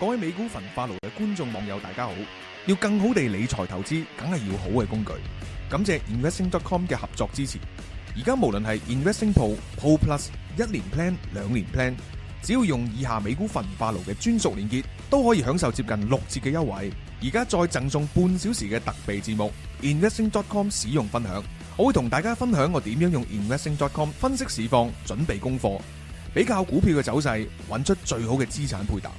各位美股焚化爐嘅觀眾網友大家好，要更好地理財投資，梗係要好嘅工具。感謝 Investing.com 嘅合作支持。而家無論係 Investing Pro、Pro Plus、1年 Plan、2年 Plan， 只要用以下美股焚化爐嘅專屬連結，都可以享受接近6折嘅優惠。而家再贈送半小時嘅特備節目 Investing.com 使用分享，我會同大家分享我點樣用 Investing.com 分析市況，準備功課，比較股票嘅走勢，揾出最好嘅資產配搭。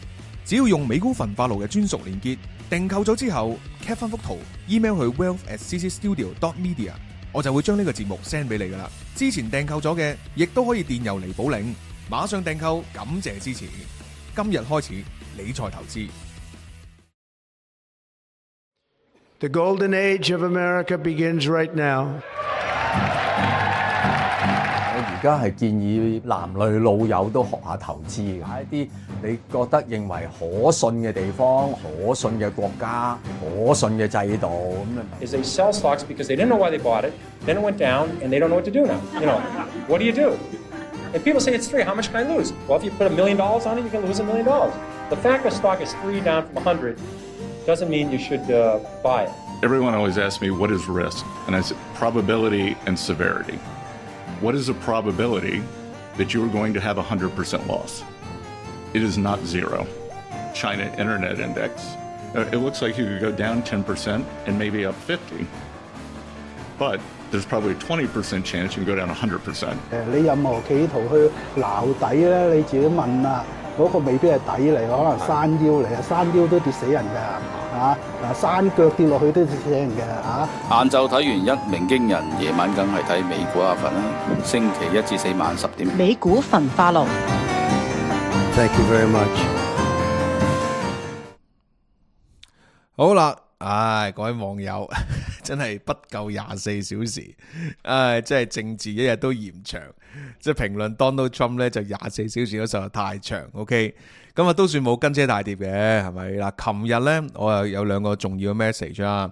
只要用美股焚化爐嘅專屬連結，訂購咗之後 cap 翻幅圖 email 去 wealth@ccstudio.media， 我就會將呢個節目 send 俾你噶啦。之前訂購咗嘅亦都可以電郵嚟補領，馬上訂購，感謝支持。今日開始理財投資。The golden age of America begins right now. 我而家係建議男女老幼都學下投資嘅，喺一啲你覺得認為可信嘅地方、可信嘅國家、可信嘅制度咁啊。Is they sell stocks because they didn't know why they bought it, then it went down, and they don't know what to do now. You know, what do you do? And people say it's 3. How much can I lose? Well, if you put $1 million on it, you can lose $1 million. The fact the stock is 3 down from 100 doesn't mean you should buy it. Everyone always asks me, what is risk? And I said, probability and severity. What is the probability that you are going to have 100% loss? It is not 0. China Internet Index, it looks like you could go down 10% and maybe up 50. But there's probably a 20% chance you can go down 100%. 你任何企圖去撈底咧，你自己問啦，嗰個未必係底嚟，可能山腰嚟啊，山腰都跌死人㗎嚇，嗱山腳跌落去都跌死人嘅嚇。晏晝睇完一鳴驚人，夜晚梗係睇美股阿份啦。星期1至4晚10點。美股焚化爐。Thank you very much. 好啦，各位網友真係不夠24小時，真係政治一日都嫌長，即係評論 Donald Trump 咧就24小時都實在太長。OK， 咁都算冇跟車大跌嘅，係咪嗱？琴日咧我又有2個重要嘅 message 啦。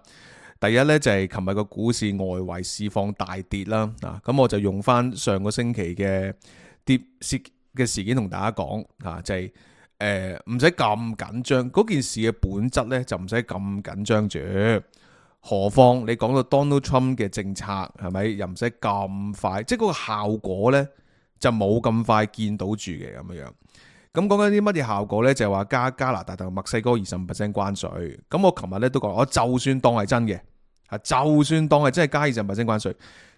第一咧就係琴日個股市外圍市況大跌啦，咁我就用翻上個星期嘅跌嘅事件同大家講就係唔使咁緊張，嗰件事嘅本質咧就唔使咁緊張住。何況你講到 Donald Trump 嘅政策係咪又唔使咁快，即係嗰個效果咧就冇咁快見到住嘅咁樣。咁講緊啲乜嘢效果咧？就係話加拿大同墨西哥25% 關稅。咁我琴日咧都講，我就算當係真嘅，就算當係真係加25% 關稅，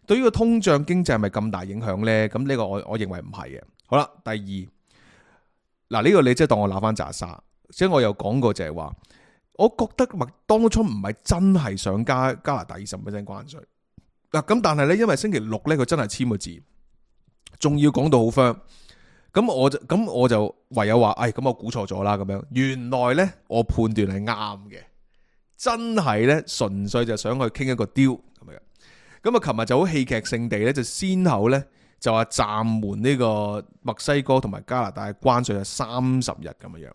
對於個通脹經濟係咪咁大影響咧？咁呢個我認為唔係嘅。好啦，第二，呢個你即係當我鬧翻渣沙，即係我有講過就係話，我覺得Donald Trump唔係真係想加拿大25% 關稅。咁但係咧，因為星期六咧佢真係簽個字，仲要講到好 firm， 咁我就唯有話，咁我估錯咗啦咁樣。原來咧我判斷係啱嘅，真係咧純粹就想去傾一個 deal 咁樣。咁啊，琴日就好戲劇性地咧，就先後咧就話暫緩呢個墨西哥同埋加拿大嘅關稅係30日咁樣。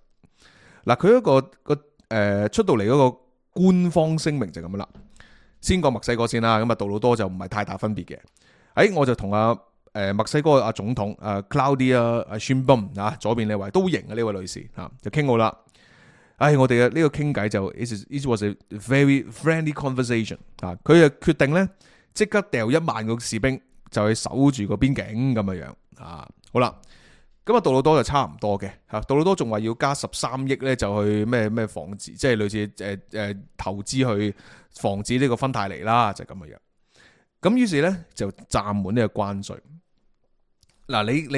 嗱，佢一個出到嚟嗰個官方聲明就咁樣啦。先講墨西哥先啦，咁啊杜魯多就唔係太大分別嘅。我就同墨西哥阿總統Claudia Sheinbaum 左邊呢位都型嘅呢位女士就傾好啦。我哋嘅呢個傾偈就 it was a very friendly conversation 佢就決定咧即刻掉1萬個士兵就去守住個邊境咁樣好啦，咁啊杜魯多就差唔多嘅杜魯多仲話要加13億咧就去咩防止，即係類似投資去防止呢個芬太尼啦，就咁樣。咁於是咧就暫緩呢個關稅。你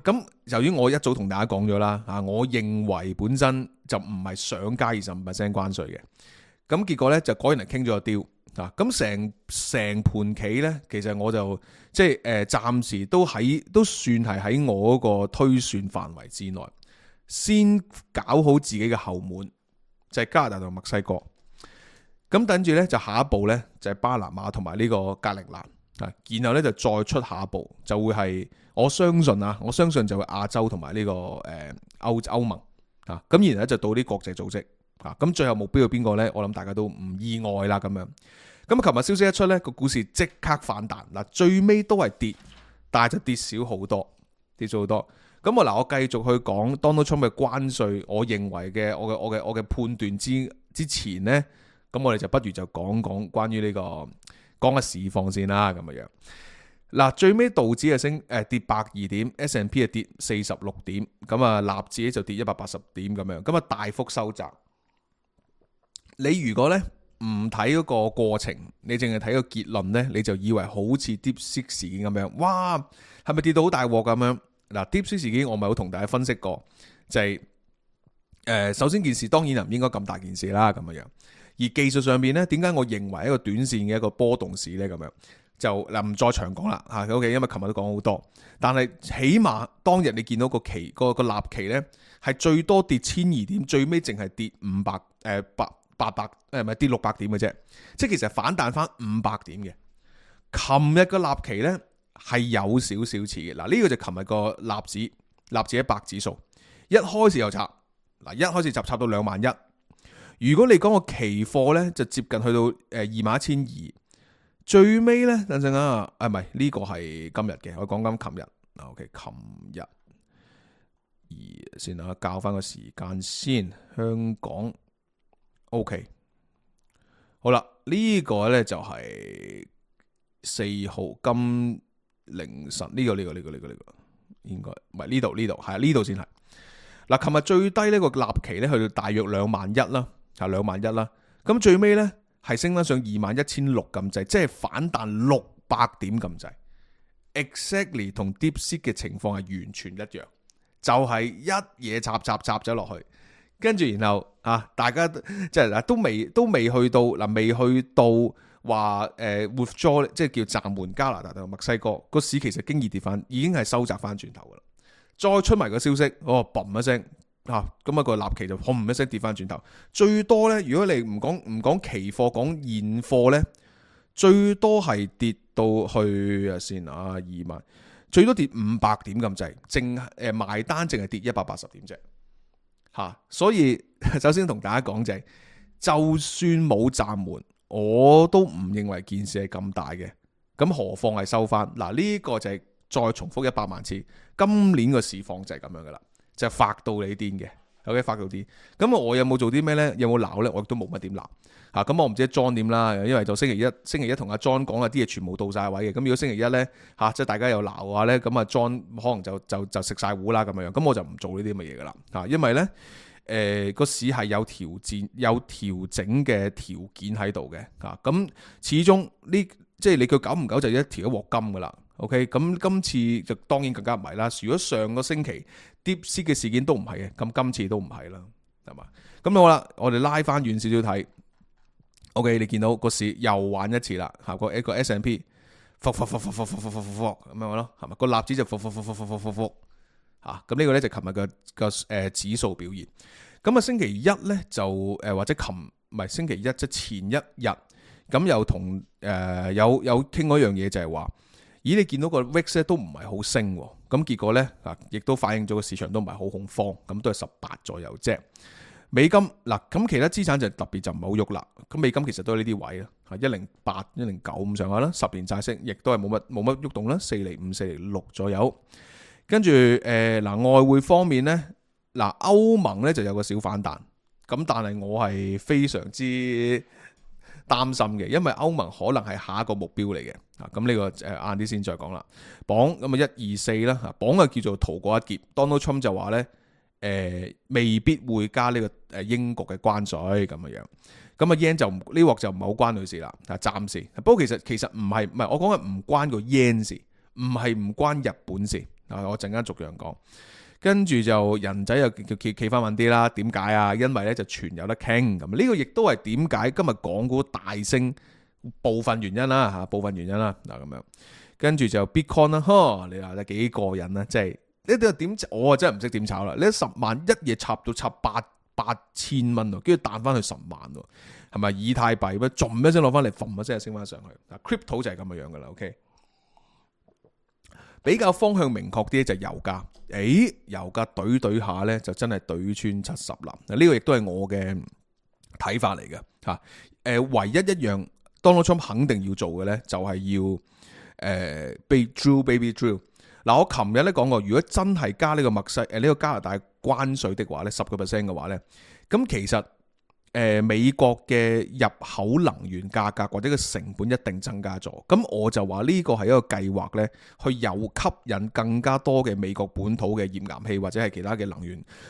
咁由於我一早同大家講咗啦我認為本身就唔係想加25% 關稅嘅。咁結果咧就果然係傾咗個 deal。咁成盤棋咧，其實我就即係暫時都算係喺我嗰個推算範圍之內，先搞好自己嘅後門，就係加拿大同墨西哥。咁等住咧就下一步咧就係巴拿馬同埋呢個格陵蘭然後咧就再出下一步就會係我相信就會亞洲同埋呢個歐盟咁然後咧就到啲國際組織。咁最後目標係邊個呢？我諗大家都唔意外啦咁樣。咁琴日消息一出呢，個股市即刻反彈。最尾都係跌，但係就跌少好多，跌咗好多。咁我繼續去講 Donald Trump 嘅關稅，我認為嘅我嘅判斷之前呢，咁我哋就不如就講關於呢個講下市況先啦，咁樣。嗱，最尾道指係跌102點 ，S&P 係跌46點，咁啊納指咧就跌180點咁樣，咁啊大幅收窄。你如果咧唔睇嗰個過程，你淨係睇個結論咧，你就以為好似 DeepSeek 事件咁樣，哇，係咪跌到好大鑊咁樣？嗱，DeepSeek 事件我咪好同大家分析過，就係首先件事當然唔應該咁大件事啦，咁樣。而技術上面咧，點解我認為一個短線嘅一個波動市咧咁樣？就唔再長講啦嚇，OK，因為琴日都講好多，但係起碼當日你見到個期個立期咧係最多跌1200點，最尾淨係跌800唔係跌600點嘅啫，即係其實反彈翻500點嘅。琴日個立期咧係有少少似嘅，嗱呢個就琴日個納指100指數一開始又插，嗱一開始插到21000，如果你講個期貨咧就接近去到21200。最尾咧，等陣啊，唔係呢個係今日嘅，我講緊琴日。OK， 琴日先啊，校翻個時間先。香港 OK， 好啦，呢個咧就係4號今凌晨呢個應該唔係呢度係呢度先係。嗱，琴日最低呢個立期咧去到大約21000啦，係21000啦。咁最尾咧。係升翻上21600咁滯，即係反彈600點咁滯。Exactly 同 DeepSeek 嘅情況係完全一樣，就係一嘢插咗落去，跟住然後大家即係都未去到嗱，未去到話withdraw， 即係叫暫緩加拿大同墨西哥個市，其實經已跌翻，已經係收窄翻轉頭噶啦。再出埋個消息，嘣一聲。咁啊個立期就轟一聲跌翻轉頭，最多咧，如果你唔講期貨，講現貨咧，最多係跌到去先20000，最多跌500點咁滯，淨埋單淨係跌180點啫，所以首先同大家講就算冇暫緩，我都唔認為件事係咁大嘅，咁何況係收翻嗱，呢個就係再重複100萬次，今年個市況就係咁樣噶啦。就發到你癲嘅 ，OK 發到癲。咁我有冇做啲咩咧？有冇鬧咧？我亦都冇乜點鬧嚇。咁我唔知 John 點啦，因為就星期一同阿 John 講啊啲嘢全部到晒位嘅。咁如果星期一咧即係大家有鬧嘅話咧，咁啊 John 可能就食晒糊啦咁樣。咁我就唔做呢啲咁嘅嘢噶啦因為咧個市係有調整嘅條件喺度嘅咁始終呢即係你佢久唔久就一條一鑊金噶啦。OK， 咁今次就當然更加唔係啦。如果上個星期 DeepSeek 嘅事件都唔係嘅，咁今次都唔係啦，係嘛？咁好啦，我哋拉翻遠少少睇。OK， 你見到個市又玩一次啦，一個 S&P 咁樣咯，係嘛？個納指就咁呢個咧就琴日嘅指數表現。咁啊星期一咧就或者星期一即前一日，咁又同有傾嗰樣嘢就係話。咦，你見到個 VIX 咧都唔係好升，咁結果咧亦都反映咗個市場都唔係好恐慌，咁都係18左右啫。美金咁其他資產就特別就唔係好喐啦。咁美金其實都係呢啲位啦，108、109咁上下啦。10年債息亦都係冇乜喐動啦，4.5、4.6左右。跟住外匯方面咧，歐盟咧就有個小反彈，咁但係我係非常之擔心嘅，因為歐盟可能係下一個目標嚟嘅。咁呢個晏啲先再講啦。鎊咁啊124啦，鎊啊叫做逃過一劫。Donald Trump 就話咧未必會加呢個英國嘅關稅咁樣。咁啊 yen 就呢鑊就唔係好關佢事啦，暫時。不過其實唔係我講嘅唔關個 yen 事，唔關日本事。我陣間逐樣講。跟住就人仔又企翻穩啲啦，點解啊？因為咧就全有得傾咁，呢個亦都係點解今日港股大升部分原因啦部分原因啦咁樣。跟住就 Bitcoin 啦，你話得幾過癮啦，即係呢啲點我真係唔識點炒啦。你10萬一嘢插到8000蚊跟住彈翻去10萬喎，係咪以太幣咩？仲一聲攞翻嚟，揈一聲升翻上去。Crypto 就係咁嘅樣噶啦。OK， 比較方向明確啲就係油價。油價懟下咧，就真係懟穿70啦。呢個亦都係我嘅睇法嚟嘅唯一一樣 Donald Trump 肯定要做嘅咧，就係要Baby Drill 嗱，我琴日咧講過，如果真係加呢個呢個加拿大關稅的話咧，10% 嘅話咧，咁其實美國嘅入口能源價格或者個成本一定增加咗。咁我就話呢個係一個計劃咧，去又吸引更加多嘅美國本土嘅頁岩氣或者係其他嘅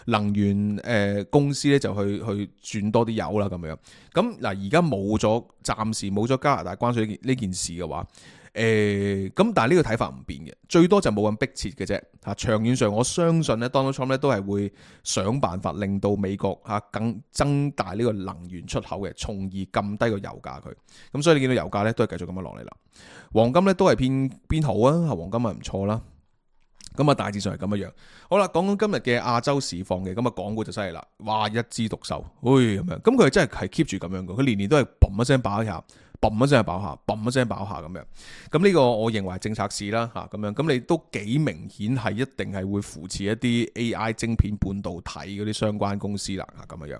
能源公司咧，就去轉多啲油啦咁樣。咁嗱，而家暫時冇咗加拿大關稅呢件事嘅話。咁但係呢個睇法唔變嘅，最多就冇咁迫切嘅啫。吓，長遠上我相信咧，Donald Trump 咧都係會想辦法令到美國更增大呢個能源出口嘅，從而撳低個油價佢。咁所以你見到油價咧都係繼續咁樣落嚟啦。黃金咧都係偏好啊，黃金係唔錯啦。咁啊，大致上係咁樣。好啦，講今日嘅亞洲市況嘅，咁啊，港股就犀利啦，哇，一枝獨秀，咁樣。咁佢真係 keep 住咁樣嘅，佢年年都係嘣一聲爆一下。嘣一聲爆下，嘣一聲爆下咁樣，咁呢個我認為係政策市啦嚇咁樣，咁你都幾明顯係一定係會扶持一啲 AI 晶片半導體嗰啲相關公司啦嚇咁樣。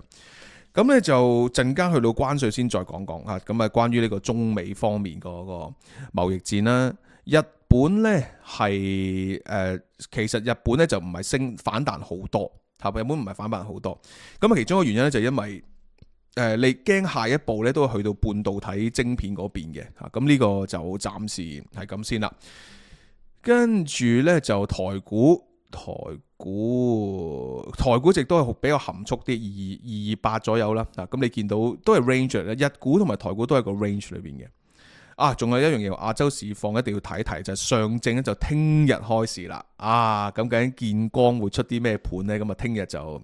咁咧就陣間去到關稅先再講講嚇，咁啊關於呢個中美方面嗰個貿易戰啦，日本咧係其實日本咧就唔係反彈好多，日本唔係反彈好多，咁啊其中一個原因咧就係因為你驚下一步咧都會去到半導體晶片嗰邊嘅嚇，咁呢個就暫時係咁先啦。跟住咧就台股亦都係比較含蓄啲，228左右啦。咁你見到都係 range 咧，日股同埋台股都係個 range 裏邊嘅。仲有一樣嘢，亞洲市況一定要睇一睇，就係上證咧就聽日開市啦。咁究竟建光會出啲咩盤咧？咁啊聽日就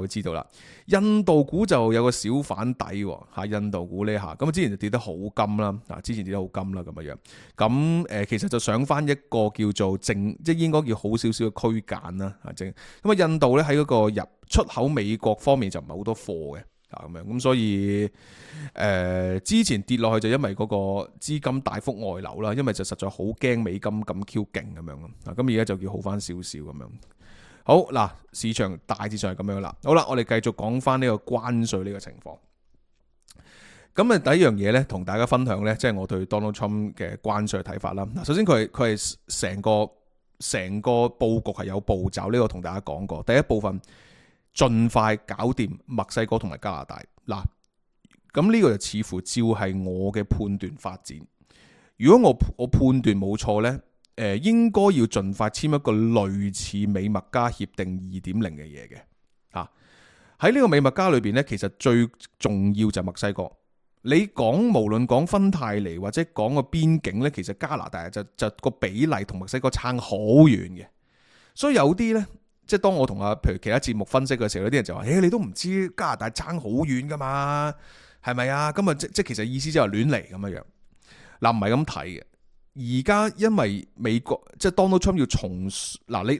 會知道啦。印度股就有個小反底嚇，印度股呢下咁之前就跌得好金啦，之前跌得好金啦咁樣。咁其實就上翻一個叫做即係應該叫好少少嘅區間啦，咁啊印度咧喺嗰個入出口美國方面就唔係好多貨嘅咁樣，咁所以之前跌落去就因為嗰個資金大幅外流啦，因為就實在好驚美金咁 Q 勁咁樣咯，咁而家就叫好翻少少咁樣。好嗱，市場大致上係咁樣啦。好啦，我哋繼續講翻呢個關稅呢個情況。咁第一樣嘢咧，同大家分享咧，即係我對 Donald Trump 嘅關稅睇法啦。嗱，首先佢係成個佈局係有步驟，呢個同大家講過。第一部分盡快搞掂墨西哥同埋加拿大。嗱，咁呢個就似乎照係我嘅判斷發展。如果我判斷冇錯咧。應該要盡快簽一個類似美墨加協定 2.0 嘅嘢嘅嚇。喺呢個美墨加裏邊咧，其實最重要就係墨西哥。你無論講芬太尼或者講個邊境咧，其實加拿大就個比例同墨西哥差好遠嘅。所以有啲咧，即係當我同譬如其他節目分析嘅時候，有啲人就話：你都唔知加拿大差好遠噶嘛？係咪啊？咁啊，即其實意思就係亂嚟咁樣。嗱，唔係咁睇嘅。而家因為美國即係 Donald Trump 要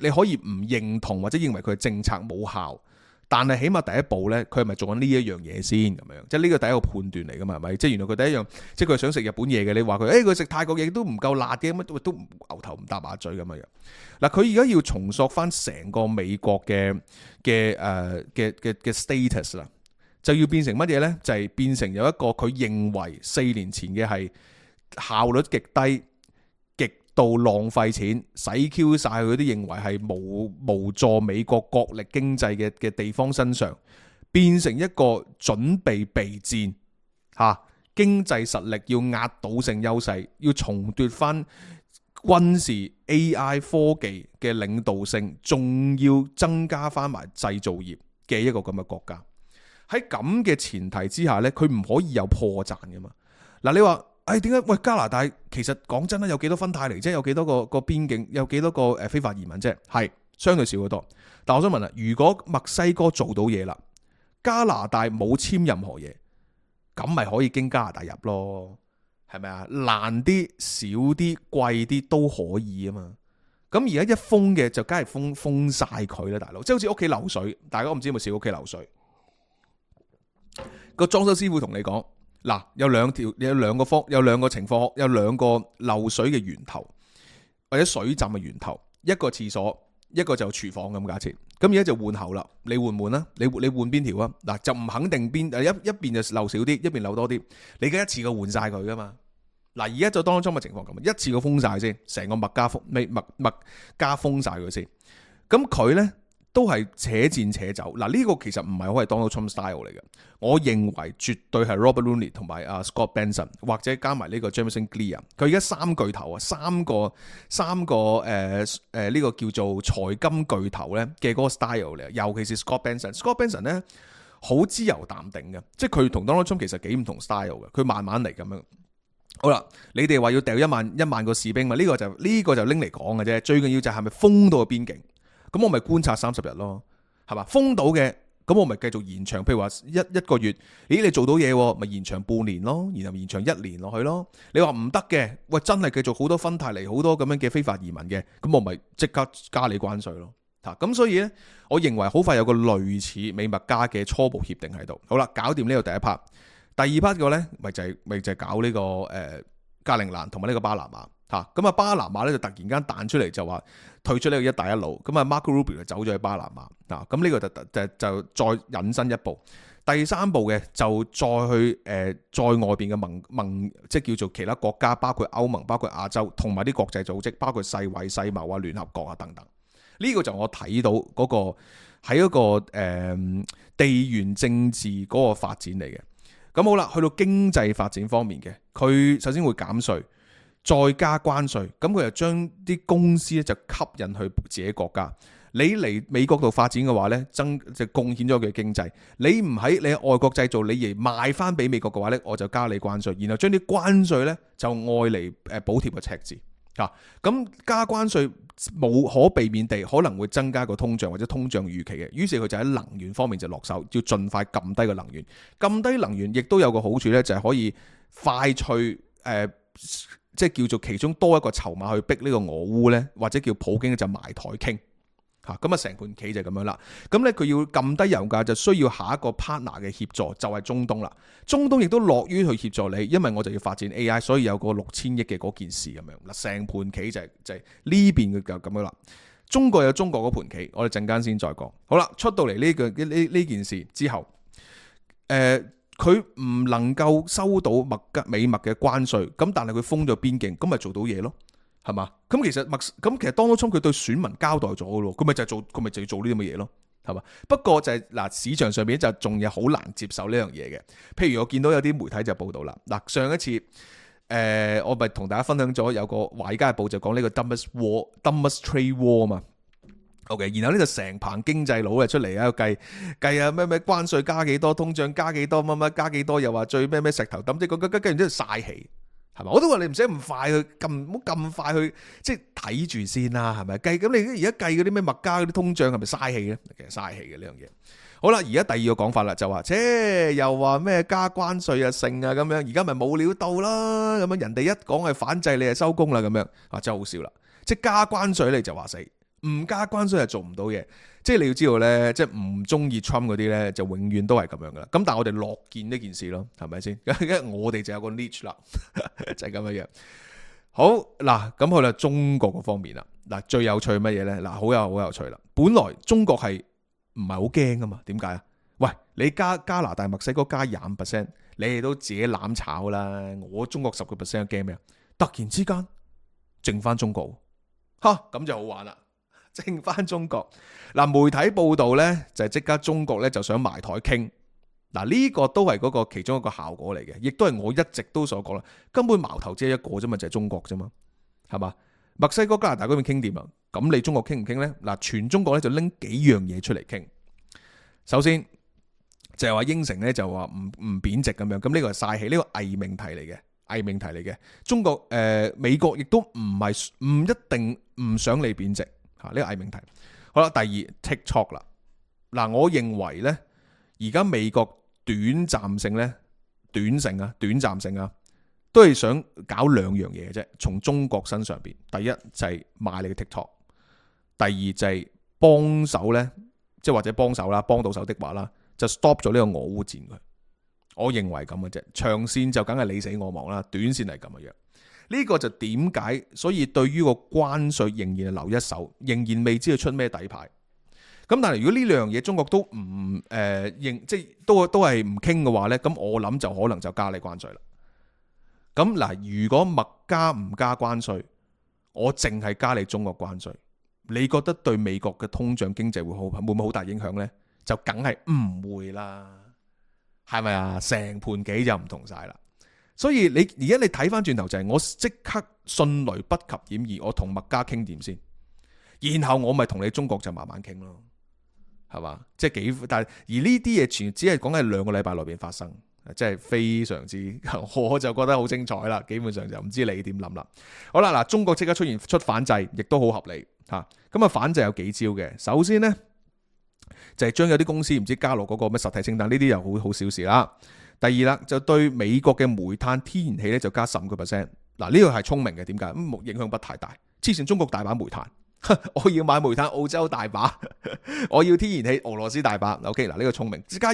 你可以唔認同或者認為佢嘅政策冇效，但係起碼第一步咧，佢係咪做緊呢一樣嘢先咁樣？即係呢個第一個判斷嚟噶嘛？係咪？即係原來佢第一樣，即係佢係想食日本嘢嘅。你話佢佢食泰國嘢都唔夠辣嘅，乜都牛頭唔搭馬嘴咁樣。嗱，佢而家要重塑翻成個美國嘅 status 啦，就要變成乜嘢咧？就係變成有一個佢認為4年前嘅係效率極低。到浪費錢，使 Q 晒佢啲認為係無助美國國力經濟嘅地方身上，變成一個準備備戰經濟實力要壓倒性優勢，要重奪翻軍事 AI 科技嘅領導性，仲要增加翻埋製造業嘅一個咁嘅國家。喺咁嘅前提之下呢，佢唔可以有破綻噶嘛。嗱，你話點解？喂，加拿大其實講真啦，有幾多芬太尼啫？有幾多個邊境？有幾多個非法移民啫？係相對少好多。但我想問啦，如果墨西哥做到嘢啦，加拿大冇簽任何嘢，咁咪可以經加拿大入咯？係咪啊？難啲、少啲、貴啲都可以啊嘛。咁而家一封嘅就梗係封晒佢啦，大佬。即係好似屋企漏水，大家我唔知有冇試過屋企漏水。個裝修師傅同你講。嗱，有兩個情況，有兩個漏水嘅源頭，或者水浸嘅源頭，一個廁所，一個就廚房咁假設。咁而家就換喉啦，你換唔換啊？你換邊條啊？嗱，就唔肯定邊一邊就漏少啲，一邊漏多啲。你而家一次過換晒佢噶嘛？嗱，而家就當中嘅情況咁，一次過封晒先，成個麥加封晒佢先。咁佢咧都係且戰且走。嗱，呢個其實唔係好係 Donald Trump style 嚟嘅。我認為絕對係 Robert Rooney 同埋Scott Benson 或者加埋呢個 Jameson Clear。佢而家三巨頭啊，三個呢個叫做財金巨頭咧嘅嗰個 style 嚟。尤其是 Scott Benson 咧好自由淡定嘅，即係佢同 Donald Trump 其實幾唔同 style 嘅。佢慢慢嚟咁樣。好啦，你哋話要掉一萬個士兵嘛？呢個就拎嚟講嘅啫。最緊要就係咪封到個邊境？咁我咪觀察30日咯，係嘛？封到嘅，咁我咪繼續延長。譬如話一個月，咦你做到嘢，咪延長半年咯，然後延長1年落去咯。你話唔得嘅，喂真係繼續好多芬太尼好多咁樣嘅非法移民嘅，咁我咪即刻加你關稅咯。咁所以呢，我認為好快有個類似美墨加嘅初步協定喺度。好啦，搞掂呢個第一 part。第二 part 嘅呢，咪就係搞呢個加陵蘭同埋呢個巴拿馬嚇。咁啊巴拿馬咧就突然間彈出嚟就話退出呢個一帶一路。咁啊 Marco Rubio 就走咗去巴拿馬嗱。咁呢個就再引申一步。第三步嘅就再去再外邊嘅盟即係叫做其他國家，包括歐盟、包括亞洲同埋啲國際組織，包括世衛、世貿啊、聯合國啊等等。呢個就我睇到嗰個喺嗰個地緣政治嗰個發展嚟嘅。咁好啦，去到經濟發展方面嘅，佢首先會減稅，再加關稅，咁佢就將啲公司咧就吸引去自己國家。你嚟美國度發展嘅話咧，就貢獻咗佢嘅經濟。你唔喺你喺外國製造，你而賣翻俾美國嘅話咧，我就加你關稅，然後將啲關稅咧就愛嚟補貼個赤字。咁加關稅冇可避免地可能會增加個通脹或者通脹預期嘅，於是佢就喺能源方面就落手，要盡快撳低個能源。撳低能源亦都有個好處咧，就係可以快脆即係叫做其中多一個籌碼去逼呢個俄烏咧，或者叫普京就埋台傾。咁啊成盤棋就咁樣啦。咁咧佢要撳低油價，就需要下一個 partner 嘅協助，就係中東啦。中東亦都樂於去協助你，因為我就要發展 AI，所以有個6000億嘅嗰件事咁樣嗱。成盤棋就係呢邊嘅就咁樣啦。中國有中國嗰盤棋，我哋陣間先再講。好啦，出到嚟呢件事之後，佢唔能夠收到美墨嘅關稅，咁但係佢封咗邊境，咁咪做到嘢咯。係嘛？咁其實Donald Trump佢對選民交代咗嘅咯，佢咪就要做呢啲咁嘅嘢咯，係嘛？不過就係市場上面就仲有好難接受呢樣嘢嘅。譬如我見到有啲媒體就報道啦，上一次我咪同大家分享咗有個華爾街日報就講呢個 dumbest trade war 嘛。OK， 然後呢就成棚經濟佬出嚟喺度計啊咩關稅加幾多，通脹加幾多，乜加幾多，又話最咩石頭抌，即係跟住之後嘥氣。係嘛？我都話你唔使咁快去唔好咁快去即係睇住先啦，係咪？咁你而家計嗰啲咩墨加嗰啲通脹係咪嘥氣咧？其實嘥氣嘅呢樣嘢。好啦，而家第二個講法啦，就話又話咩加關稅啊剩啊咁樣，而家咪冇料到啦咁樣，人哋一講係反制你就收工啦咁樣，真係好笑啦！即係加關稅你就話死，唔加關稅就做唔到嘢。即係你要知道咧，即係唔中意 Trump 嗰啲咧，就永遠都係咁樣噶啦。咁但係我哋樂見呢件事咯，係咪先？因為我哋就有個 niche 啦，就係咁樣樣。好嗱，咁去啦中國嗰方面啦。嗱，最有趣乜嘢咧？嗱，好有趣啦。本來中國係唔係好驚噶嘛？點解啊？喂，你加拿大、墨西哥加25%，你哋都自己攬炒啦。我中國10%驚咩啊？突然之間剩翻中國，咁就好玩啦。剩翻中國嗱，媒體報道咧就係即刻中國咧就想埋台傾嗱，呢個都係嗰個其中一個效果嚟嘅，亦都係我一直都所講啦。根本矛頭只係一個啫嘛，就係中國啫嘛，係嘛？墨西哥、加拿大嗰邊傾掂啊，咁你中國傾唔傾咧？嗱，全中國咧就拎幾樣嘢出嚟傾。首先就係話應承咧就話唔貶值咁樣，咁呢個係嘥氣，呢個偽命題嚟嘅。中國美國亦都唔一定唔想你貶值。呢個偽命題。好啦，第二 TikTok 啦。嗱，我認為咧，而家美國短暫性都係想搞兩樣嘢嘅啫。從中國身上邊，第一就係買你嘅 TikTok， 第二就係幫手咧，即係或者幫手啦，幫到手的話啦，就 stop 咗呢個俄烏戰佢。我認為咁嘅啫，長線就梗係你死我亡啦，短線係咁嘅樣。呢個就點解？所以對於個關稅仍然係留一手，仍然未知佢出咩底牌。咁但係如果呢兩樣嘢中國都唔認，即係都係唔傾嘅話咧，咁我諗就可能就加你關稅啦。咁嗱，如果麥加唔加關稅，我淨係加你中國關稅，你覺得對美國嘅通脹經濟會唔會好大影響呢？就梗係唔會啦，係咪啊？成盤棋就唔同晒啦。所以而家你睇翻轉頭就係我即刻迅雷不及掩耳，我同麥加傾掂先，然後我咪同你中國就慢慢傾咯，係嘛？即係但係而呢啲嘢全只係講喺2個禮拜內邊發生。即係非常之，我就覺得好精彩啦。基本上就唔知你點諗啦。好啦，嗱，中國即刻出反制，亦都好合理吓。咁啊，反制有幾招嘅。首先呢，就係將有啲公司唔知加落嗰個咩實體清單，呢啲又好小事啦。第二啦，就對美國嘅煤炭、天然氣咧就加15%。嗱，呢個係聰明嘅，點解？影響不太大。之前中國大把煤炭。我要買煤炭，澳洲大把；我要天然氣，俄羅斯大把。OK， 嗱，呢個聰明，只加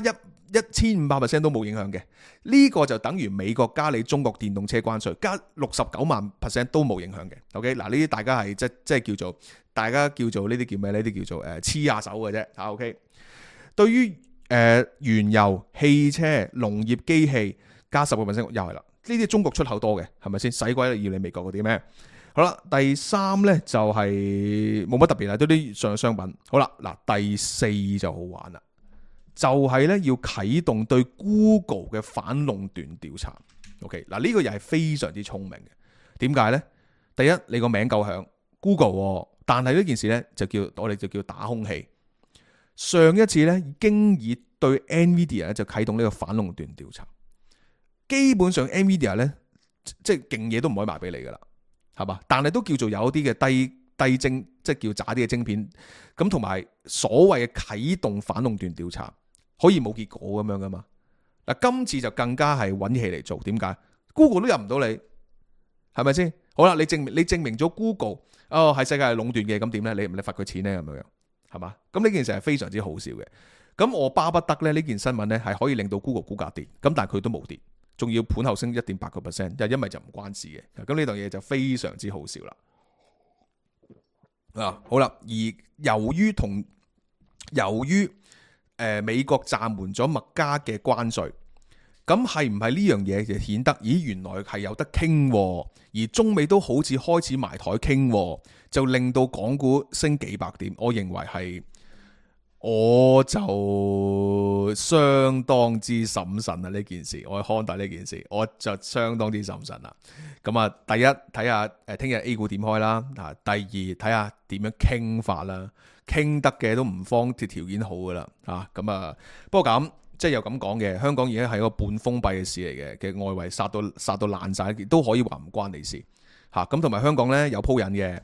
1500%都冇影響嘅。呢個就等於美國加你中國電動車關稅，加69萬%都冇影響嘅。OK， 嗱，呢啲大家係即係叫做大家叫做呢啲叫咩？呢啲叫做黐下手嘅啫。OK， 對於原油、汽車、農業機器加10%又係啦。呢啲中國出口多嘅，係咪先？使鬼要你美國嗰啲咩？好啦，第三呢就係冇乜特別啦，都啲上商品。好啦，嗱，第四就好玩啦，就係呢要啟動對 Google 嘅反壟斷調查。OK， 嗱，呢個又係非常之聰明嘅。點解呢？第一，你個名夠響 Google， 但係呢件事呢我哋就叫打空氣。上一次呢經已對 Nvidia 就啟動呢個反壟斷調查，基本上 Nvidia 呢即係勁嘢都唔可以賣俾你噶啦。係嘛？但係都叫做有啲嘅低精，即係叫渣啲嘅晶片。咁同埋所謂嘅啟動反壟斷調查，可以冇結果咁樣噶嘛？嗱，今次就更加係揾氣嚟做。點解 ？Google 都入唔到你，係咪先？好啦，你證明咗 Google 係世界係壟斷嘅，咁點咧？你罰佢錢咧咁樣，係嘛？咁呢件事係非常之好笑嘅。咁我巴不得咧呢件新聞咧係可以令到 Google 股價跌，咁但係佢都冇跌。仲要盤後升 1.8%， 又因為就唔關事嘅，咁呢樣嘢就非常之好笑啦。好啦，而由於美國暫緩咗麥加嘅關稅，咁係唔係呢樣嘢就顯得原來係有得傾，而中美都好似開始埋台傾，就令到港股升幾百點。我認為係。我就相當之審慎啊！呢件事，我看待呢件事，我就相當之審慎啦。咁啊，第一睇下聽日 A 股點開啦，第二睇下點樣傾法啦，傾得嘅都唔方條件好噶啦，咁啊。不過咁即係又咁講嘅，香港而家係一個半封閉嘅市嚟嘅，外圍殺到爛晒，都可以話唔關你事吓。咁同埋香港呢，有鋪癮嘅，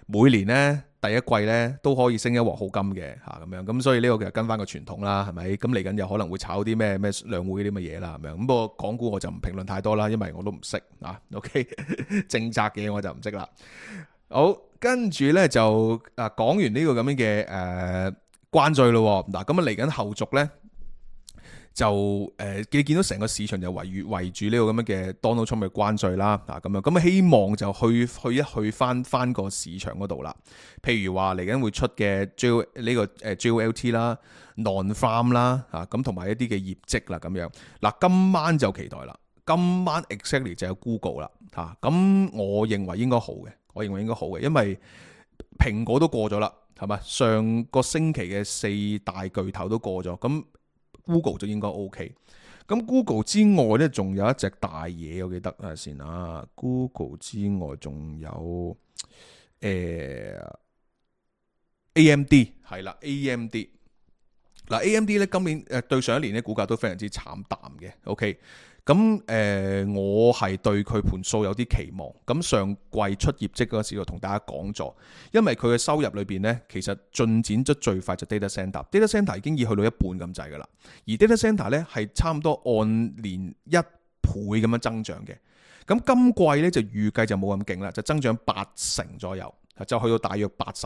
每年呢。第一季咧都可以升一鑊好金嘅咁樣，咁所以呢個其實跟翻個傳統啦，係咪？咁嚟緊有可能會炒啲咩兩會啲乜嘢啦咁樣。咁不過港股我就唔評論太多啦，因為我都唔識OK， 政策嘅我就唔識啦。好，跟住咧就講完呢個咁樣嘅關稅咯。嗱，咁啊嚟緊後續咧就你見到成個市場就圍住呢個咁樣嘅 Donald Trump 嘅關稅啦，咁希望就去翻個市場嗰度啦。譬如話嚟緊會出嘅 JOLT 啦、Non-Farm 啦，咁同埋一啲嘅業績啦咁樣。嗱，今晚就期待啦，今晚 exactly 就有 Google 啦，咁我認為應該好嘅，因為蘋果都過咗啦，係咪？上個星期嘅4大巨頭都過咗，咁Google 就應該 OK， 咁 Google 之外咧，仲有一隻大嘢，我記得睇下先啊。Google 之外仲有AMD 係啦 ，AMD 嗱 AMD 咧今年對上一年咧股價都非常之慘淡嘅 ，OK。咁我係對佢盤數有啲期望。咁上季出業績嗰時就同大家講咗，因為佢嘅收入裏邊呢，其實進展得最快就 data center。data center 已經已去到一半咁滯噶啦，而 data center 呢係差唔多按年1倍咁樣增長嘅。咁今季呢就預計就冇咁勁啦，就增長80%左右，就去到大約80，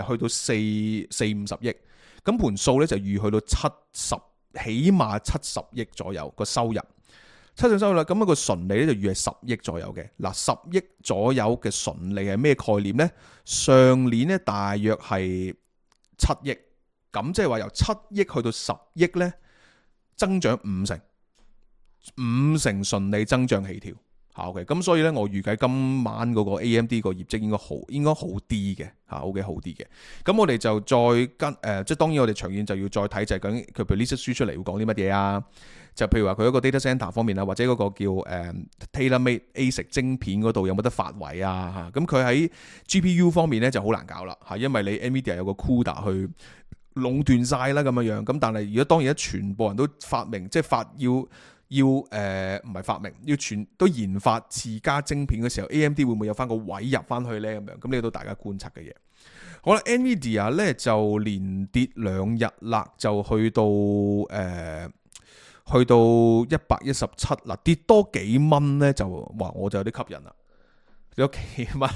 去到450億。咁盤數呢就預去到70，起碼70億左右個收入。收入啦，咁一個純利咧就預係10億左右嘅。嗱，10億左右嘅純利係咩概念呢？上年咧大約係7億，咁即係話由7億去到10億咧，增長5成，5成純利增長起跳 OK， 咁所以咧，我預計今晚嗰個 AMD 個業績應該好啲嘅，OK 好啲嘅。咁我哋就再跟即係當然我哋長遠就要再睇就係究竟佢譬如呢出書出嚟會講啲乜嘢啊？就譬如話佢一個 data center 方面啊，或者嗰個叫tailor-made ASIC 晶片嗰度有冇得發圍啊？咁佢喺 GPU 方面咧就好難搞啦，因為你 NVIDIA 有個 CUDA 去壟斷晒啦咁樣。咁但係如果當然全部人都發明即係要唔係發明，要全都研發自家晶片嘅時候 ，AMD 會唔會有翻個位入翻去咧？咁樣咁呢個都大家觀察嘅嘢。好啦 ，NVIDIA 咧就連跌2日啦，就去到117啦，跌多幾蚊咧就哇我就有啲吸引啦，跌多幾蚊，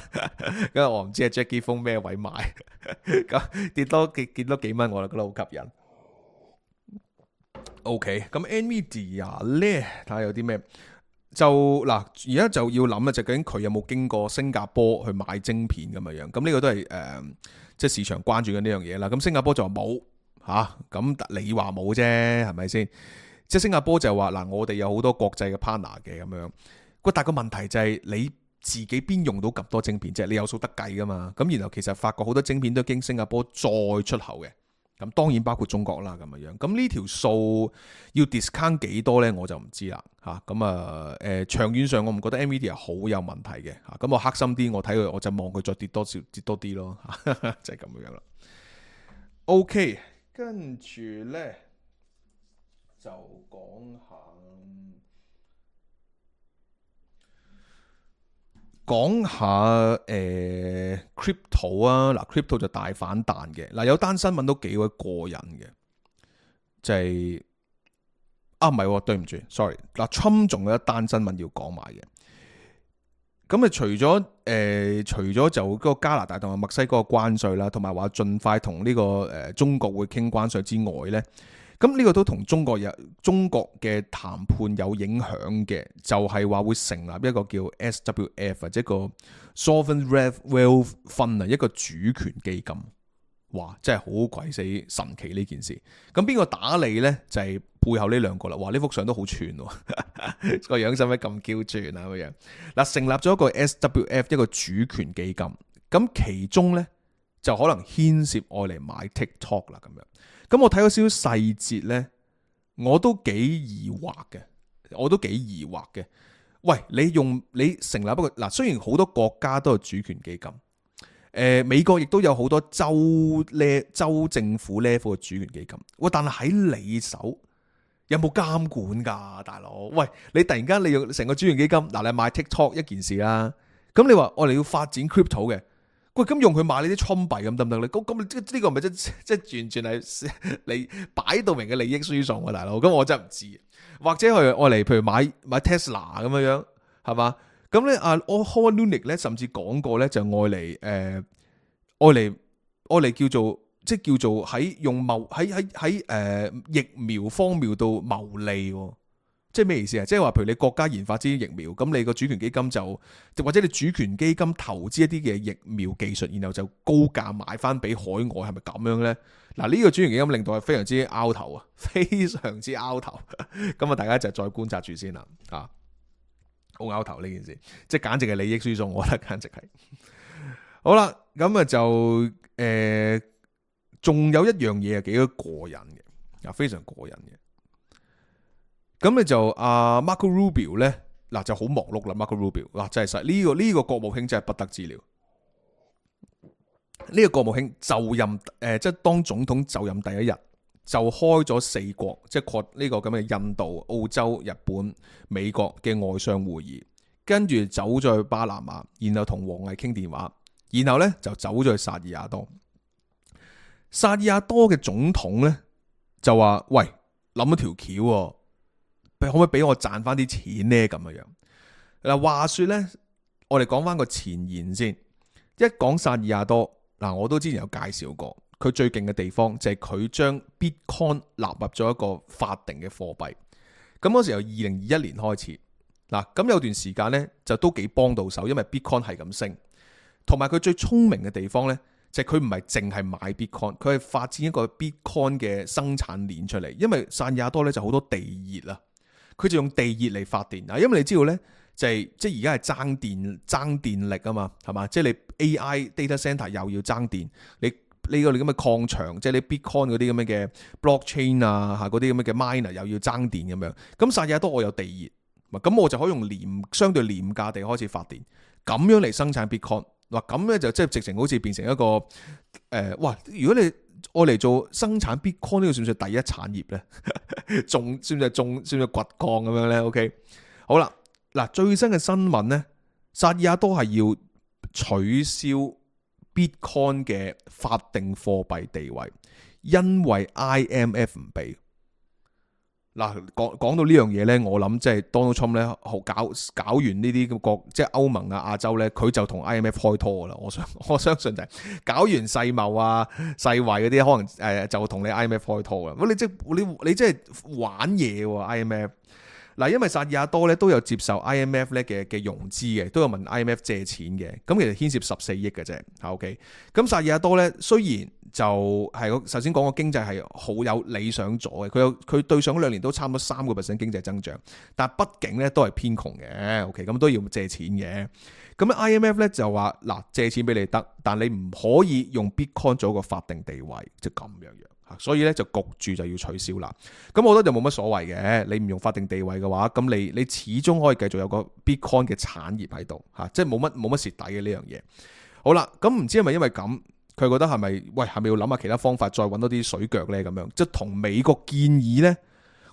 因為我唔知係 Jackie 封咩位買，咁跌多幾蚊我就覺得好吸引。OK， 咁 NVIDIA 咧睇下有啲咩，就嗱而家就要諗啊，就究竟佢有冇經過新加坡去買晶片咁樣，咁呢個都係即係市場關注緊呢樣嘢啦。咁新加坡就話冇吓，咁你話冇啫，係咪先？即係新加坡就話嗱，我哋有好多國際嘅 partner 嘅咁樣，但係個問題就係你自己邊用到咁多晶片啫？你有數得計噶嘛？咁然後其實發覺好多晶片都經新加坡再出口嘅。咁當然包括中國啦，咁樣。咁呢條數要 discount 幾多咧？我就唔知啦，嚇。咁長遠上我唔覺得 NVIDIA 好有問題嘅，嚇。咁我黑心啲，我睇佢，我就望佢再跌多啲咯，就係咁樣啦。OK， 跟住咧就講下crypto 啊，嗱 crypto 就大反彈嘅，嗱有單新聞都幾鬼過癮嘅，就係唔係，對唔住 ，sorry， 嗱 Trump 仲有一單新聞要講埋嘅，咁除咗就嗰個加拿大同埋墨西哥嘅關稅啦，同埋話盡快同呢個中國會傾關稅之外咧。咁呢個都同中國嘅談判有影響嘅，就係話會成立一個叫 SWF 或者個 Sovereign Wealth Fund 啊，一個主權基金。哇，真係好鬼死神奇呢件事。咁邊個打理咧？就係背後呢兩個啦。哇，呢幅相都好串喎，個樣使唔使咁嬌轉啊？咁樣嗱，成立咗一個 SWF 一個主權基金，咁其中咧就可能牽涉愛嚟買 TikTok 啦咁樣。咁我睇咗少少細節咧，我都幾疑惑嘅。喂，你成立一個嗱，雖然好多國家都有主權基金，美國亦都有好多州政府 level 嘅主權基金。喂，但係喺你手有冇監管㗎，大佬？喂，你突然間你用成個主權基金，嗱你買 TikTok 一件事啦，咁你話我哋要發展 crypto 嘅。喂，咁用佢買呢啲倉幣咁得唔得咧？咁呢個咪即完全係你擺到明嘅利益輸送啊，大佬！咁我真係唔知，或者係我嚟，譬如買 Tesla 咁樣，係嘛？咁咧Howard Lutnick 咧甚至講過咧，就愛嚟叫做喺用喺疫苗方面度牟利。即係咩意思啊？即係話，譬如你國家研發支疫苗，咁你個主權基金就或者你主權基金投資一啲嘅疫苗技術，然後就高價買翻俾海外，係咪咁樣咧？嗱，呢個主權基金令到係非常之拗頭啊，非常之拗頭。咁啊，大家就再觀察住先啦。啊，好拗頭呢件事，即係簡直係利益輸送，我覺得簡直係。好啦，咁啊就仲有一樣嘢係幾多過癮嘅，啊，非常過癮嘅。咁你就Marco Rubio 咧，嗱就好忙碌啦。Marco Rubio 嗱真係實呢個國務卿真係不得之了。呢個國務卿就任即係當總統就任第一日就開咗4國，即係擴呢個咁嘅印度、澳洲、日本、美國嘅外相會議，跟住走咗去巴拿馬，然後同王毅傾電話，然後咧就走咗去薩爾瓦多。薩爾瓦多嘅總統咧就話：喂，諗咗條橋喎。可唔可以俾我賺翻啲錢呢？咁樣嗱，話說咧，我哋講翻個前言先。一講薩爾瓦多嗱，我都之前有介紹過，佢最勁嘅地方就係佢將 Bitcoin 納入咗一個法定嘅貨幣。咁嗰時由2021年開始嗱，咁有段時間咧就都幾幫到手，因為 Bitcoin 係咁升，同埋佢最聰明嘅地方咧就係佢唔係淨係買 Bitcoin， 佢係發展一個 Bitcoin 嘅生產鏈出嚟。因為薩爾瓦多咧就好多地熱啊。佢就用地熱嚟發電啊，因為你知道咧，即係而家係爭電力啊嘛，係嘛？即係你 AI data center 又要爭電，你個咁嘅礦場，即係你 Bitcoin 嗰啲咁樣嘅 blockchain 啊，嗰啲咁嘅 miner 又要爭電咁樣。咁薩爾瓦多我有地熱，咁我就可以用相對廉價地開始發電，咁樣嚟生產 Bitcoin。嗱咁咧就即係直情好似變成一個哇！如果你我嚟做生產 Bitcoin 呢個算唔算第一產業咧？算唔算掘礦咁樣咧 ？OK， 好啦，嗱最新嘅新聞咧，薩爾瓦多係要取消 Bitcoin 嘅法定貨幣地位，因為 IMF 唔俾。嗱，講到呢樣嘢咧，我諗即係 Donald Trump 咧，搞完呢啲國，即係歐盟啊、亞洲咧，佢就同 IMF 開拖噶啦。我相信就係搞完世貿啊、世衛嗰啲，可能就同你 IMF 開拖噶。你即係玩嘢喎 IMF。嗱，因為薩爾瓦多咧都有接受 IMF 咧嘅融資嘅，都有問 IMF 借錢嘅。咁其實牽涉14億嘅啫。OK，咁薩爾瓦多咧雖然就係首先講個經濟係好有理想咗嘅，佢對上嗰2年都差唔多3% 經濟增長，但係畢竟咧都係偏窮嘅。OK，咁都要借錢嘅。咁 IMF 咧就話嗱，借錢俾你得，但你唔可以用 Bitcoin 做一個法定地位，即係咁樣。所以咧就焗住就要取消啦。咁我覺得就冇乜所謂嘅。你唔用法定地位嘅話，咁你始終可以繼續有個 Bitcoin 嘅產業喺度嚇，即係冇乜蝕底嘅呢樣嘢。好啦，咁唔知係咪因為咁，佢覺得係咪要諗下其他方法，再揾多啲水腳咧咁樣？即係同美國建議咧，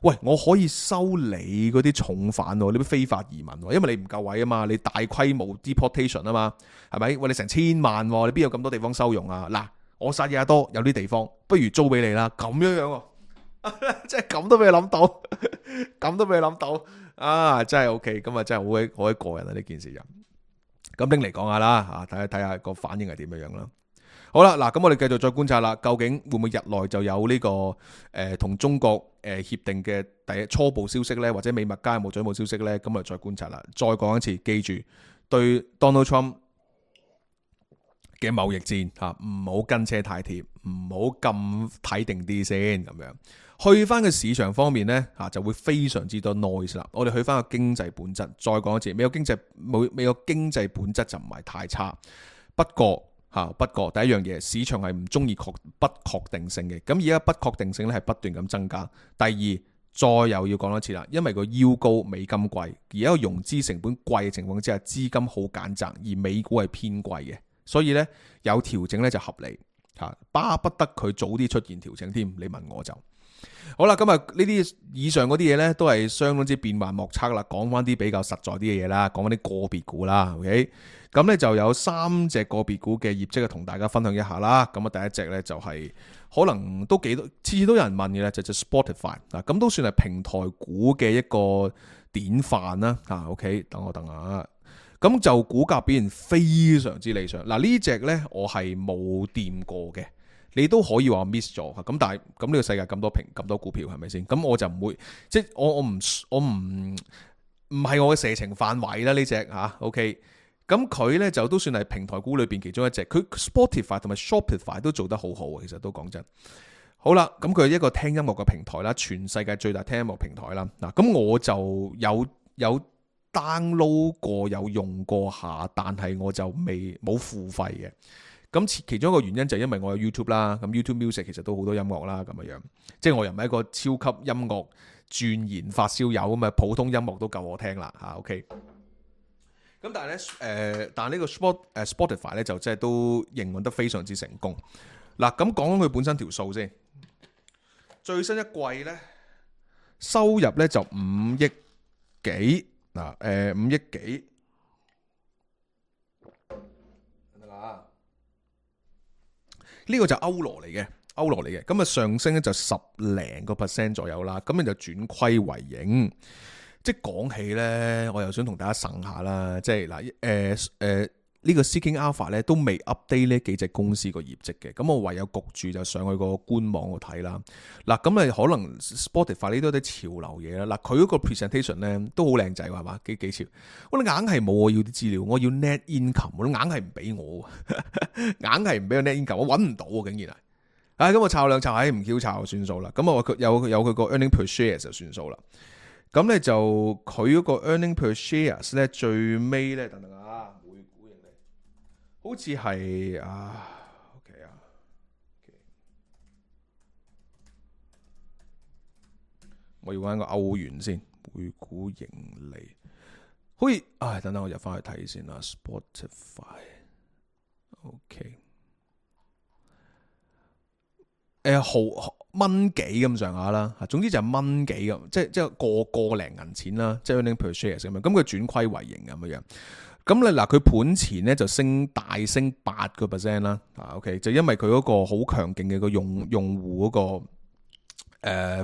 喂，我可以收你嗰啲重犯喎，你啲非法移民喎，因為你唔夠位啊嘛，你大規模 deportation 啊嘛，係咪？喂，你成1000萬喎，你邊有咁多地方收容啊？嗱。我薩爾瓦多有啲地方，不如租俾你啦，咁樣喎，即係咁都俾你諗到，咁都俾你諗到，啊，真係 OK，咁啊真係好鬼過癮啊呢件事就，咁拎嚟講下啦，睇下個反應係點樣啦。好啦，嗱，咁我哋繼續再觀察啦，究竟會唔會日內就有呢個同中國協定嘅第一初步消息咧，或者美墨加有冇進一步消息咧？咁我哋再觀察啦。再講一次，記住對 Donald Trump嘅貿易戰嚇，唔好跟車太貼，唔好咁睇定啲先咁樣。去翻個市場方面咧嚇，就會非常之多 noise 啦。我哋去翻個經濟本質，再講一次，美國經濟本質就唔係太差。不過第一樣嘢，市場係唔中意不確定性嘅。咁而家不確定性咧係不斷咁增加。第二，再又要講多次啦，因為個腰高，美金貴，而家個融資成本貴嘅情況之下，資金好揀擇，而美股係偏貴嘅。所以咧有調整咧就合理嚇，巴不得佢早啲出現調整添。你問我就好啦。今日呢啲以上嗰啲嘢咧都係相當之變幻莫測啦。講翻啲比較實在啲嘅嘢啦，講翻啲個別股啦。OK， 咁咧就有3隻個別股嘅業績同大家分享一下啦。咁啊第一隻咧就係可能都幾多次都有人問嘅咧，就 Spotify 啊，咁都算係平台股嘅一個典範啦。OK， 等我下。咁就股價表現非常之理想。嗱，呢隻呢我係冇掂過嘅，你都可以話 miss 咗。咁但係咁呢個世界咁多股票係咪先？咁我就唔會，即係我唔係我嘅射程範圍啦呢隻嚇。OK，咁佢呢就都算係平台股裏邊其中一隻。佢 Spotify 同埋 Shopify 都做得好好，其實都講真。好啦，咁佢係一個聽音樂嘅平台啦，全世界最大聽音樂平台啦。嗱，咁我就有download 過有用過下，但係我就冇付費嘅。咁其中一個原因就係因為我有 YouTube 啦，咁 YouTube Music 其實都好多音樂啦，咁樣，即係我又唔係一個超級音樂鑽研發燒友咁啊，普通音樂都夠我聽啦嚇。OK，咁但係咧但係呢個 Spotify 咧就即係都營運得非常之成功。嗱，咁講佢本身條數先，最新一季咧收入咧就5億幾。5億幾得啦？呢個就歐羅嚟嘅，咁啊上升咧就10% 左右啦，咁你就轉虧為盈。即係講起咧，我又想同大家呻下啦，即係嗱，呢個 Seeking Alpha 咧都未 update 呢幾隻公司個業績嘅，咁我唯有焗住就上去個官網度睇啦。嗱，咁啊可能 Spotify 呢都有啲潮流嘢啦。嗱，佢嗰個 presentation 咧都好靚仔係嘛，幾潮。我哋硬係冇我要啲資料，我要 net income， 我硬係唔俾我，硬係唔俾我 net income， 我揾唔到啊，竟然係。咁我抄兩抄，唔 Q 抄就算數啦。咁我有佢個 earning per share 就算數啦。咁咧就佢嗰個 earning per shares 咧最尾咧，等等啊，每股盈利好似係OK 啊，我要揾個歐元先，每股盈利好似等等我入翻去睇先啦 ，Spotify OK。毫蚊幾咁上下啦，總之就係蚊幾咁，即係個零銀錢啦，即係 earning per share 咁樣。咁佢轉虧為盈咁樣。咁咧嗱，佢盤前咧就大升8%啦。OK， 就因為佢嗰個好強勁嘅個用戶嗰個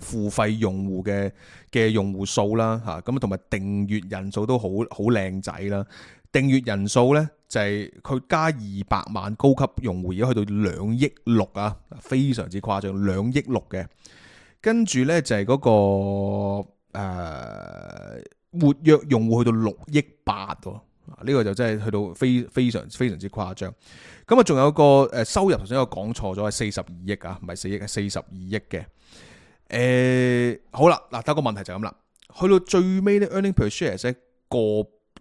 付費用戶嘅用戶數啦嚇，咁同埋訂閱人數都好靚仔啦。訂閱人數咧就係佢加200萬高級用戶，而家去到2億6啊，非常之誇張，2億6嘅。跟住咧就係嗰個活躍用戶去到6億8喎，呢個就真係去到非常之誇張。咁啊，仲有個收入頭先我講錯咗係42億啊，唔係4億，係42億嘅。好啦，嗱，得個問題就咁啦，去到最尾咧 earning per share 咧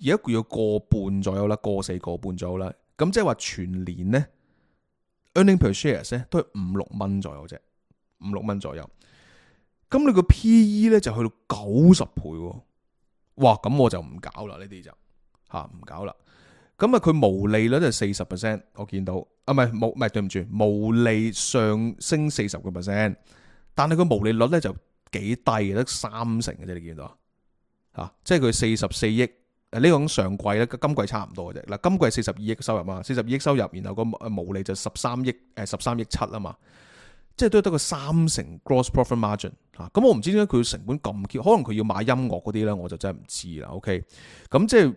而家佢要個半左右啦，個4個半左右啦。咁即係話全年咧 earning per share 咧都係5-6蚊左右啫，5-6蚊左右。咁你個 PE 咧就去到90倍喎，哇！咁我就唔搞啦，呢啲就唔搞啦。咁啊，佢毛利率就係40%，我見到唔係對唔住，毛利上升40%，但係佢毛利率咧就幾低嘅，得3成嘅啫，你見到即係佢44億。呢個講上季咧，今季差唔多嘅啫。嗱，今季42億收入嘛，42億收入，然後個毛利就13億7啊嘛，即係都得個3成 gross profit margin 嚇。咁我唔知點解佢成本咁高，可能佢要買音樂嗰啲咧，我就真係唔知啦。OK，咁即係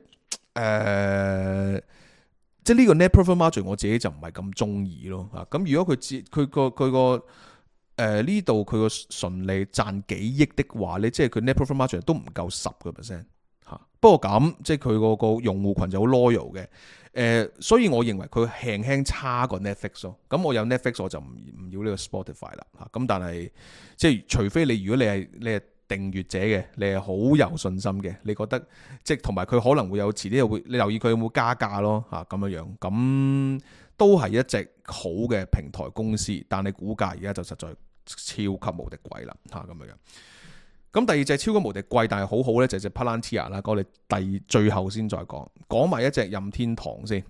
呢個 net profit margin 我自己就唔係咁中意咯嚇。咁如果佢個呢度佢個純利賺幾億的話咧，即係佢 net profit margin 都唔夠10%。不過咁，即係佢個用戶群就好 loyal 嘅，所以我認為佢輕差過 Netflix 咯。咁我有 Netflix 我就唔要呢個 Spotify 啦嚇。咁但係即係除非如果你係訂閱者嘅，你係好有信心嘅，你覺得即係同埋佢可能會有遲啲會，你留意佢有冇加價咯嚇咁樣，咁都係一隻好嘅平台公司，但係股價而家就實在超級無敵貴啦嚇咁樣。咁第二隻超級無敵貴但係好好咧，就係隻 Palantir 啦。我哋最後先再講埋一隻任天堂先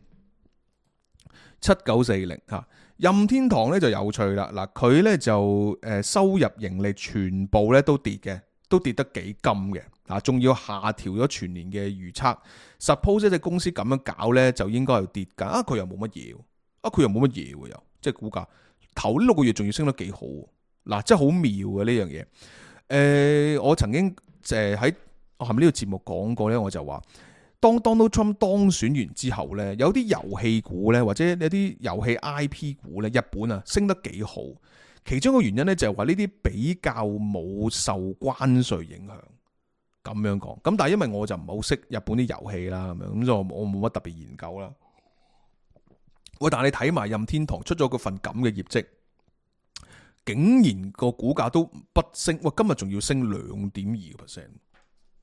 ，7940嚇。任天堂咧就有趣啦，嗱佢咧就收入盈利全部咧都跌嘅，都跌得幾金嘅啊，仲要下調咗全年嘅預測。Suppose 一隻公司咁樣搞咧，就應該係跌㗎。佢又冇乜嘢，佢又冇乜嘢喎，又即係股價頭呢6個月仲要升得幾好，嗱真係好妙嘅呢樣嘢。我曾經喺我係咪呢個節目講過咧？我就話，當 Donald Trump 當選完之後咧，有啲遊戲股咧，或者有啲遊戲 IP 股咧，日本啊升得幾好。其中一個原因咧就係話呢啲比較冇受關稅影響，咁樣講。咁但係因為我就唔係好識日本啲遊戲啦，咁樣咁就我冇乜特別研究啦。喂，但係你睇埋任天堂出咗嗰份咁嘅業績。竟然個股價都不升，哇！今日仲要升2.2%，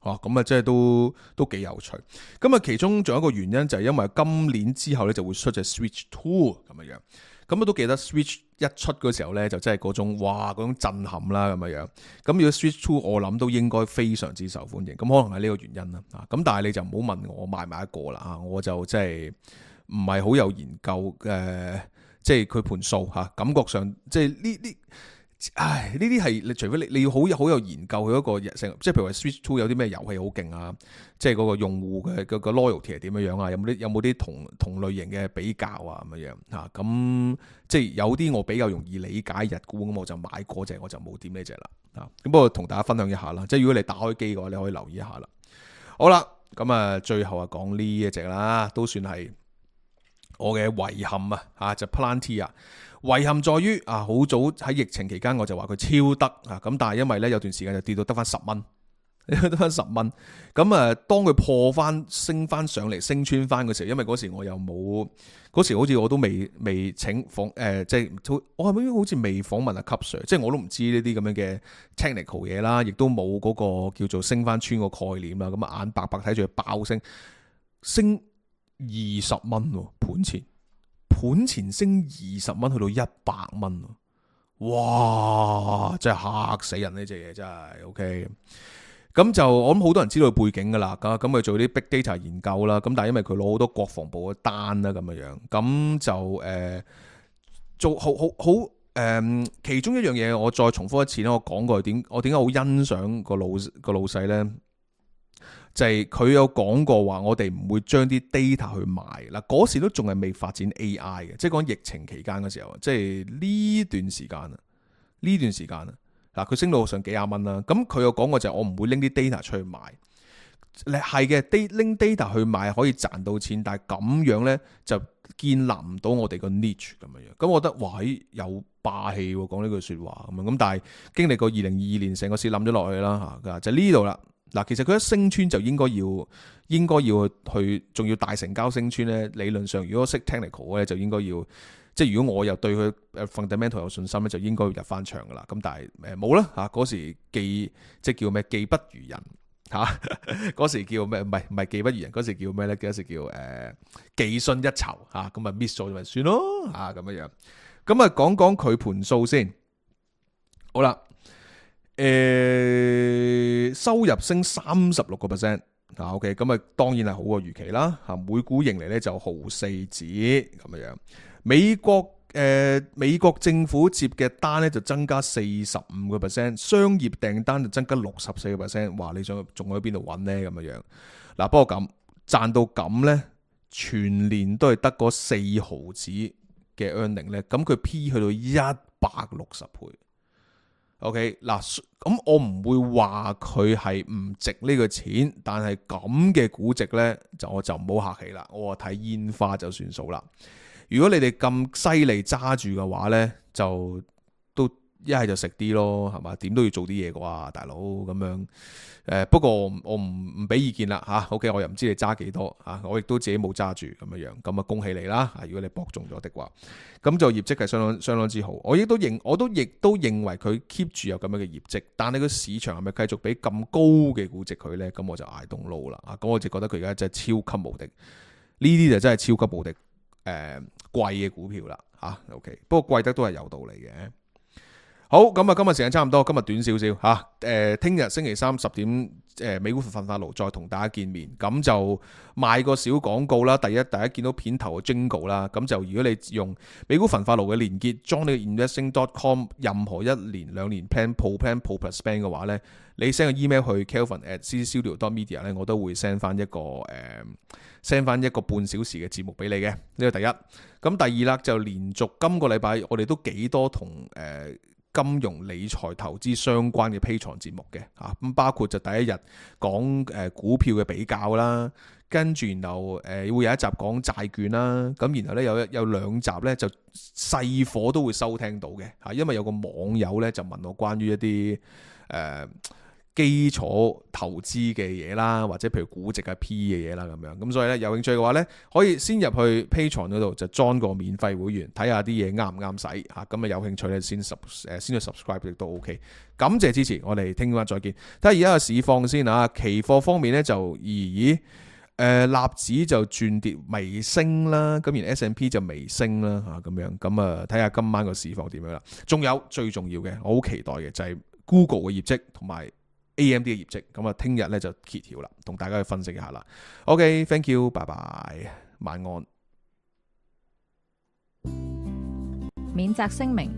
咁啊，即係都幾有趣。咁啊，其中仲有一個原因就係因為今年之後咧就會出隻 Switch 2咁樣，咁我都記得 Switch 一出嗰時候咧就真係嗰種震撼啦咁樣。咁如果 Switch 2我諗都應該非常之受歡迎，咁可能係呢個原因啦。咁但係你就唔好問我買埋一個啦，我就真係唔係好有研究即係佢盤數嚇，感覺上即係呢啲係你除非你要好有研究佢嗰個成，即係譬如話 Switch 2有啲咩遊戲好勁啊，即係嗰個用戶嘅個 loyalty 係點樣啊？有冇啲同類型嘅比較啊咁樣嚇？咁即係有啲我比較容易理解日股，咁我就買嗰隻，我就冇點呢隻啦嚇。咁不過同大家分享一下啦，即係如果你打開機嘅話，你可以留意一下啦。好啦，咁啊最後啊講呢一隻啦，都算係我嘅遺憾啊，就 Palantir 遺憾在於好早喺疫情期間我就話佢超得咁但係因為咧有段時間就跌到得翻10蚊你得翻10蚊。咁啊，當佢破翻升翻上嚟，升穿翻嘅時候，因為嗰時我又冇，嗰時好似我都未請即係我係咪好似未訪問阿級 Sir，即係我都唔知呢啲咁樣嘅 technical 嘢啦，亦都冇嗰個叫做升翻穿個概念啦。咁啊，眼白白睇住佢爆升20蚊喎，盤前升20蚊去到100蚊，哇！真係嚇死人呢隻嘢真係 OK。咁就我諗好多人知道佢背景噶啦，咁佢做啲 big data 研究啦，咁但係因為佢攞好多國防部嘅單啦咁樣，咁就做好其中一樣嘢，我再重複一次咧，我講過我點解好欣賞個老細咧，就係佢有講過話，我哋唔會將啲 data 去賣嗱，嗰時都仲係未發展 AI 嘅，即係講疫情期間嘅時候，即係呢段時間啊。嗱，佢升到上幾廿蚊啦，咁佢有講過就係我唔會拎啲 data 出去賣，係嘅，拎 data 去賣可以賺到錢，但係咁樣咧就建立唔到我哋個 niche 咁樣，咁我覺得哇，有霸氣喎，講呢句説話咁樣，咁但係經歷過2022年成個市冧咗落去啦嚇，就呢度啦。嗱，其實佢一升穿就應該要去，仲要大成交升穿咧。理論上，如果識 technical 咧，就應該要，即係如果我又對佢 fundamental 有信心咧，就應該要入翻場噶啦。咁但係冇啦嚇，嗰時即係叫咩？技不如人嚇，嗰時叫咩？唔係技不如人，嗰時叫咩咧？嗰時叫技信一籌嚇，咁啊 miss 咗咪算咯嚇咁樣。咁啊講講佢盤數先，好啦。收入升36%， OK， 咁啊當然係好過預期啦，每股盈利咧就毫4子咁樣。美國政府接嘅單咧就增加45%， 商業訂單就增加64%，哇！你想仲喺邊度揾呢？咁樣嗱，不過咁賺到咁咧，全年都係得嗰4毫子嘅 earning 咧，咁佢 P 去到160倍。OK 嗱，咁我唔會話佢係唔值呢個錢，但係咁嘅估值呢，我就唔好客氣啦，我話睇煙花就算數啦。如果你哋咁犀利揸住嘅話呢，就都一係就食啲咯，係嘛？點都要做啲嘢啩，大佬咁樣。不過我唔俾意見啦嚇。OK， 我又唔知你揸幾多嚇，我亦都自己冇揸住咁樣，咁啊恭喜你啦！如果你博中咗的話，咁就業績係相當之好。我亦都認為佢 keep 住有咁樣嘅業績，但係個市場係咪繼續俾咁高嘅估值佢呢？咁我就I don't know啦。咁我就覺得佢而家真係超級無敵，呢啲就真係超級無敵貴嘅股票啦嚇。OK， 不過貴得都係有道理嘅。好，咁啊，今日時間差唔多，今日短少少嚇。聽日星期三10點，美股焚化爐再同大家見面。咁就賣個小廣告啦。第一，大家見到片頭嘅 Jingle 啦。咁就如果你用美股焚化爐嘅連結 join 你個 investing.com 任何1年2年 plan pro plan pro plus plan 嘅話咧，你 send 個 email 去 kelvin@ccstudio.media 咧，我都會 send 翻一個半小時嘅節目俾你嘅。呢個第一。咁第二啦，就連續今個禮拜我哋都幾多同金融理財投資相關嘅 Patreon 節目嘅嚇，咁包括就第一日講股票嘅比較啦，跟住然後會有一集講債券啦，咁然後咧有2集咧就細火都會收聽到嘅嚇，因為有個網友咧就問我關於一啲基礎投資嘅嘢啦，或者譬如估值啊 P 嘅嘢啦咁樣，咁所以咧有興趣嘅話咧，可以先入去 Patreon 嗰度就 join 個免費會員，睇下啲嘢啱唔啱使嚇，咁啊有興趣咧先去 subscribe 亦都 OK。感謝支持，我哋聽晚再見。睇下而家嘅市況先啊，期貨方面咧就納指就轉跌微升啦，咁而 S&P 就微升啦嚇咁樣，咁啊睇下今晚個市況點樣啦。仲有最重要嘅，我好期待嘅就係 Google 嘅業績同埋AMD 嘅業績，咁啊聽日咧就揭曉啦，同大家去分析一下啦。OK，thank you，拜拜，晚安。免責聲明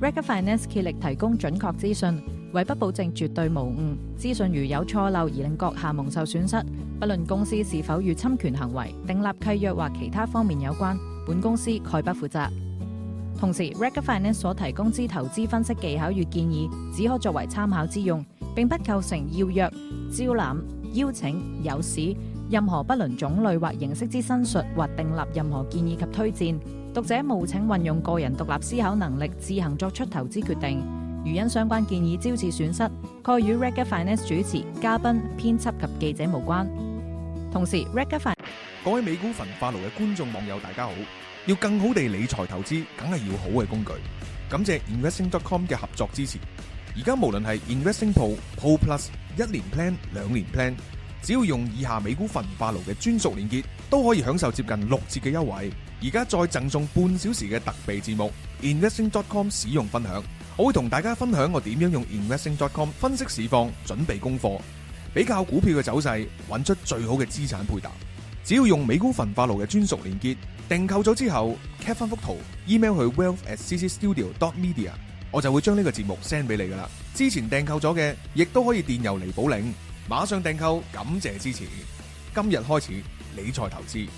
：Rega Finance 竭力提供準確資訊，為不保證絕對無誤，資訊如有錯漏而令閣下蒙受損失，不論公司是否與侵權行為、訂立契約或其他方面有關，本公司概不負責。同時 ，Rega Finance 所提供之投資分析技巧與建議，只可作為參考之用，並不構成要約、招攬、邀請、誘使任何不論種類或形式之申述或訂立任何建議及推薦。讀者務請運用個人獨立思考能力，自行作出投資決定。如因相關建議招致損失，概與 Regga Finance 主持、嘉賓、編輯及記者無關。同時 Regga Finance 各位美股焚化爐嘅觀眾網友大家好，要更好地理財投資，梗係要好嘅工具。感謝 Investing.com 嘅合作支持。而家無論係 Investing Pro、Pro Plus、1年 Plan、2年 Plan， 只要用以下美股焚化爐嘅專屬連結，都可以享受接近6折嘅優惠。而家再贈送半小時嘅特備節目 Investing.com 使用分享，我會同大家分享我點樣用 Investing.com 分析市況，準備功課，比較股票嘅走勢，揾出最好嘅資產配搭。只要用美股焚化爐嘅專屬連結訂購咗之後 cap 翻幅圖 email 去 wealth@ccstudio.media， 我就會將呢個節目 send 俾你噶啦。之前訂購咗嘅亦都可以電郵嚟補領，馬上訂購，感謝支持。今日開始理財投資。